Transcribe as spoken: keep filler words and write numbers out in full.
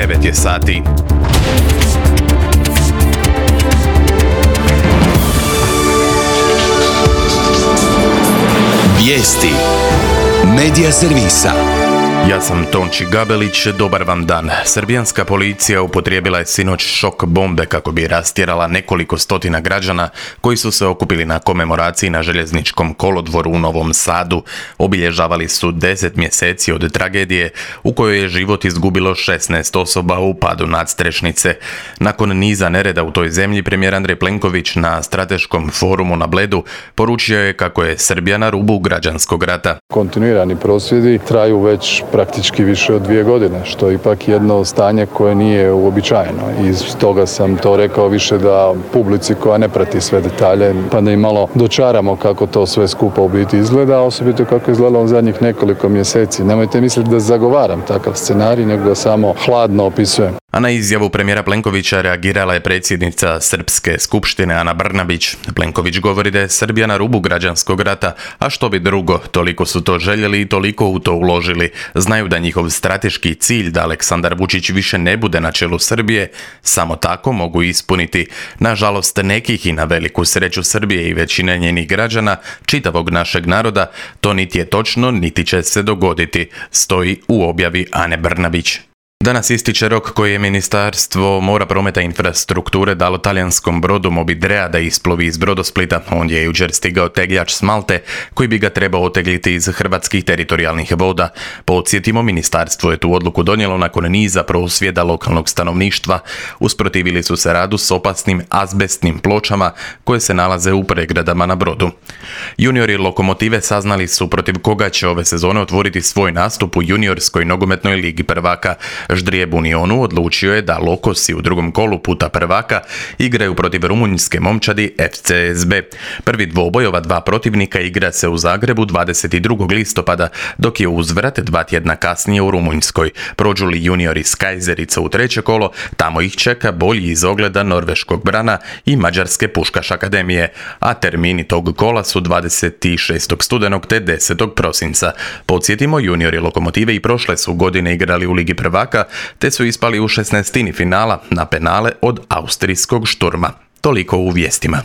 devet je sati. Vijesti Medija servisa. Ja sam Tonči Gabelić, dobar vam dan. Srbijanska policija upotrijebila je sinoć šok bombe kako bi rastjerala nekoliko stotina građana koji su se okupili na komemoraciji na željezničkom kolodvoru u Novom Sadu. Obilježavali su deset mjeseci od tragedije u kojoj je život izgubilo šesnaest osoba u padu nadstrešnice. Nakon niza nereda u toj zemlji, premijer Andrej Plenković na strateškom forumu na Bledu poručio je kako je Srbija na rubu građanskog rata. Kontinuirani prosvjedi traju već praktički više od dvije godine, što je ipak jedno stanje koje nije uobičajeno. I stoga sam to rekao više da publici koja ne prati sve detalje, pa da im malo dočaramo kako to sve skupa u biti izgleda, a osobito kako je izgledalo u zadnjih nekoliko mjeseci. Nemojte misliti da zagovaram takav scenarij, nego da samo hladno opisujem. A na izjavu premijera Plenkovića reagirala je predsjednica Srpske skupštine Ana Brnabić. Plenković govori da je Srbija na rubu građanskog rata, a što bi drugo, toliko su to željeli i toliko u to uložili. Znaju da njihov strateški cilj da Aleksandar Vučić više ne bude na čelu Srbije, samo tako mogu ispuniti. Nažalost, nekih i na veliku sreću Srbije i većine njenih građana, čitavog našeg naroda, to niti je točno, niti će se dogoditi, stoji u objavi Ane Brnabić. Danas ističe rok koji je Ministarstvo mora, prometa i infrastrukture dalo talijanskom brodu Mobidrea da isplovi iz Brodosplita. On je jučer stigao tegljač s Malte koji bi ga trebao otegliti iz hrvatskih teritorijalnih voda. Podsjetimo, ministarstvo je tu odluku donijelo nakon niza prosvjeda lokalnog stanovništva. Usprotivili su se radu s opasnim azbestnim pločama koje se nalaze u pregradama na brodu. Juniori Lokomotive saznali su protiv koga će ove sezone otvoriti svoj nastup u juniorskoj nogometnoj ligi prvaka. Ždrijeb Unionu odlučio je da Lokosi u drugom kolu puta prvaka igraju protiv rumunjske momčadi F C S B. Prvi dvoboj ova dva protivnika igra se u Zagrebu dvadeset drugog listopada, dok je uzvrat dva tjedna kasnije u Rumunjskoj. Prođu li juniori iz Kajzerica u treće kolo, tamo ih čeka bolji iz ogleda norveškog Brana i mađarske Puškaš akademije, a termini tog kola su dvadeset šestog studenog te desetog prosinca. Podsjetimo, juniori Lokomotive i prošle su godine igrali u ligi prvaka, te su ispali u šesnaestini finala na penale od austrijskog Šturma. Toliko u vijestima.